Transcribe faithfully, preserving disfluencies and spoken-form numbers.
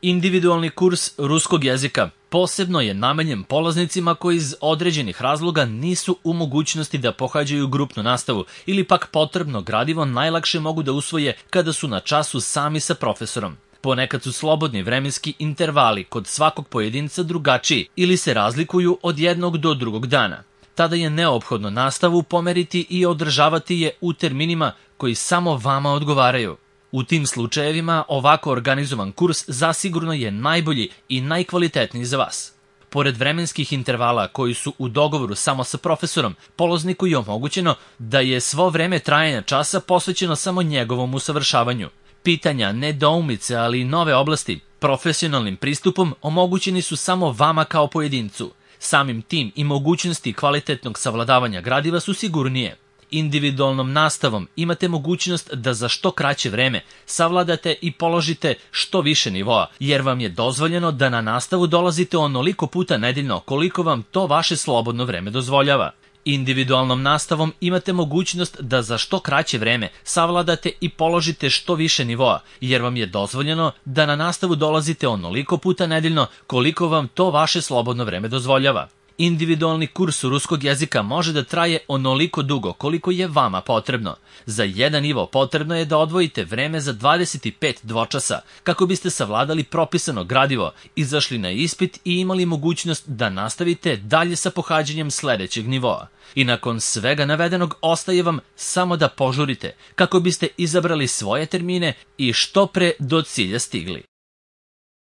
Individualni kurs ruskog jezika posebno je namenjen polaznicima koji iz određenih razloga nisu u mogućnosti da pohađaju grupnu nastavu ili pak potrebno gradivo najlakše mogu da usvoje kada su na času sami sa profesorom. Ponekad su slobodni vremenski intervali kod svakog pojedinca drugačiji ili se razlikuju od jednog do drugog dana. Tada je neophodno nastavu pomeriti i održavati je u terminima koji samo vama odgovaraju. U tim slučajevima ovako organizovan kurs zasigurno je najbolji i najkvalitetniji za vas. Pored vremenskih intervala koji su u dogovoru samo sa profesorom, polazniku je omogućeno da je svo vreme trajanja časa posvećeno samo njegovom usavršavanju. Pitanja, nedoumice, ali i nove oblasti profesionalnim pristupom omogućeni su samo vama kao pojedincu. Samim tim i mogućnosti kvalitetnog savladavanja gradiva su sigurnije. Individualnom nastavom imate mogućnost da za što kraće vreme savladate i položite što više nivoa, jer vam je dozvoljeno da na nastavu dolazite onoliko puta nedeljno koliko vam to vaše slobodno vreme dozvoljava. Individualnom nastavom imate mogućnost da za što kraće vreme savladate i položite što više nivoa, jer vam je dozvoljeno da na nastavu dolazite onoliko puta nedeljno koliko vam to vaše slobodno vreme dozvoljava. Individualni kurs ruskog jezika može da traje onoliko dugo koliko je vama potrebno. Za jedan nivo potrebno je da odvojite vreme za dvadeset pet dvočasa kako biste savladali propisano gradivo, izašli na ispit i imali mogućnost da nastavite dalje sa pohađanjem sledećeg nivoa. I nakon svega navedenog ostaje vam samo da požurite kako biste izabrali svoje termine i što pre do cilja stigli.